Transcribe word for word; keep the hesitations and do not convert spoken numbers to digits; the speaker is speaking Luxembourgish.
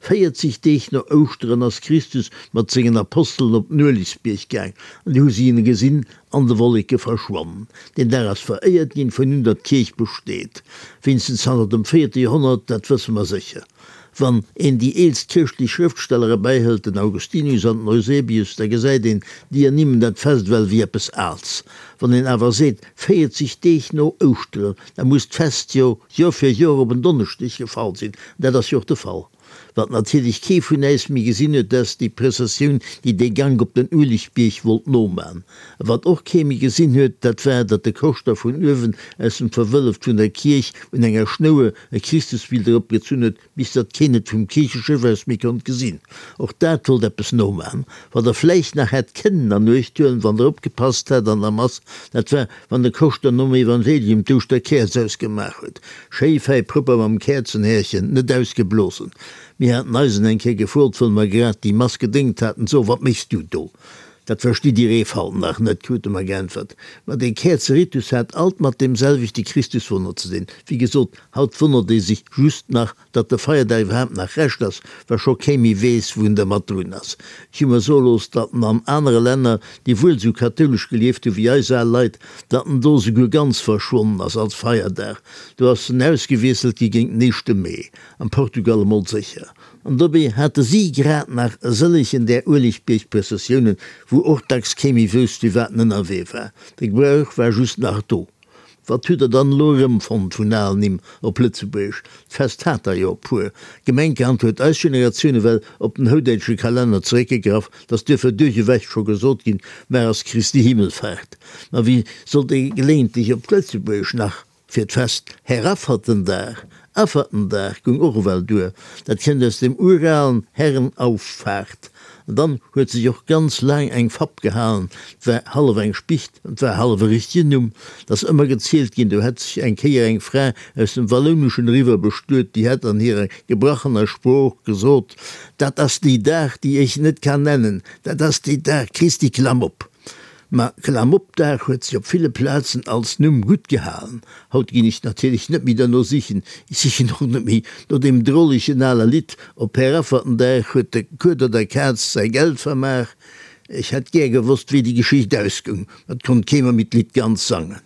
Véierzeg Deeg no Ouschteren ass Christus mat sengen Apostelen op den Uelegsbierg gaang, an du hu si en gesinn an de Wolleke verschwannen. Deen Dag ass veréiert ginn, vun un datt d'Kierch besteet, wéinstens zanter dem véierte Joerhonnert, dat wësse mer sécher. Wann een déi eelst chrëschtlech Schrëftsteller erbäihëlt, den Augustinus an den Eusebius, da gesäit een, déi ernimmen dat Fest ewell wéi eppes Aals. Wann een awer seet, véierzeg Deeg no Ouschteren, da muss d'Fest jo Joer fir Joer op en Donneschdeg gefall sinn, an dat ass jo och de Fall. Wat natierlech kee vun äis méi gesinn huet, dat ass déi Prëssessioun, déi dee Gank op den Uelegbierg wollt noman. A wat och kee méi gesinn huet, dat war, datt de Koschter vun uewen aus dem Verwëlleft vun der Kierch un enger Schnouer e Christusbild eropgezunn huet, bis datt keen et vum Kiercheschëff aus méi konnt gesinn. Och dat wollt eppes noman. Wat der vläicht nach hätt kënnen an Uecht huelen, wann der opgepasst hätt an der Mass, dat war, wann de Koschter nom Evangelium d'Ouschterkäerz ausgemaach huet. Schéi fäi propper mam Käerzenhärchen, net ausgeblosen. Mir haten eisen eng Kéier gefrot, wëll mer grad déi Mass gedéngt haten, So, wat méchs du do? Dat verstitt Dir Eefalt nach net, krute mer geäntwert. Ma dee Käerzeritus hat alt mat deem selwechte Christuswonner ze dinn. Wéi gesot, haut wonnert ee sech just nach, datt de Feierdag iwwerhaapt nach Rescht ass, wa scho kee méi weess, wou en dermat drun ass. Ech hu mer soe looss, datt en an anere Länner, déi wuel sou kathoulesch gelieft hu wéi eis al Leit, datt en do souguer ganz verschwonnen ass als Feierdag. Do ass en ausgewiesselt gi géint den éischte Mee. Am Portugal emol sécher. An dobäi hate si grad nach e sëllegen där Uelegbierg-Prëssessiounen, wou och dacks kee méi wousst, firwat en ënnerwee war. De Gebrauch war just nach do. Wat hutt der dann elo erëmfonnt vun alen Nimm op Lëtzebuergesch? D'Fest hat der jo e puer. Gemenkerhand huet eis Generatioun ewell op den houdäitsche Kalenner zeréckgegraff, 't ass duerfir duerchewech scho gesot ginn, Mar ass Christi Himmelfahrt. Ma wéi sollt ee geléintlech op Lëtzebuergesch nach Fir d'Fest Heraffertendag, Affertendag goung och ewell duer, dat kënnt aus dem uralen Herrenauffahrt. An dann huet sech och ganz laang eng Fapp gehalen, 't war hallef eng Spicht an 't war hallef e richtegen Numm. 't ass ëmmer gezielt ginn, do hätt sech eng Kéier eng Fra aus dem Wallouneschen eriwwer bestuet, déi hätt an hirer gebrachener Sprooch gesot, Dat ass déi Dag, déi ech net kann nennen, dat ass déi Dag, Christi Klamm op! Ma Klamoppdag huet sech op ville Plazen als Numm gutt gehalen. Haut ginn ech natierlech net méi derno sichen. Ech sichen och net méi no deem drolegen ale Lidd, Op Heraffertendag huet de Kueder der Kaz säi Geld vermaach. Ech hätt gär gewosst, wéi déi Geschicht ausgoung, ma 't konnt kee mer méi d'Lidd ganz sangen.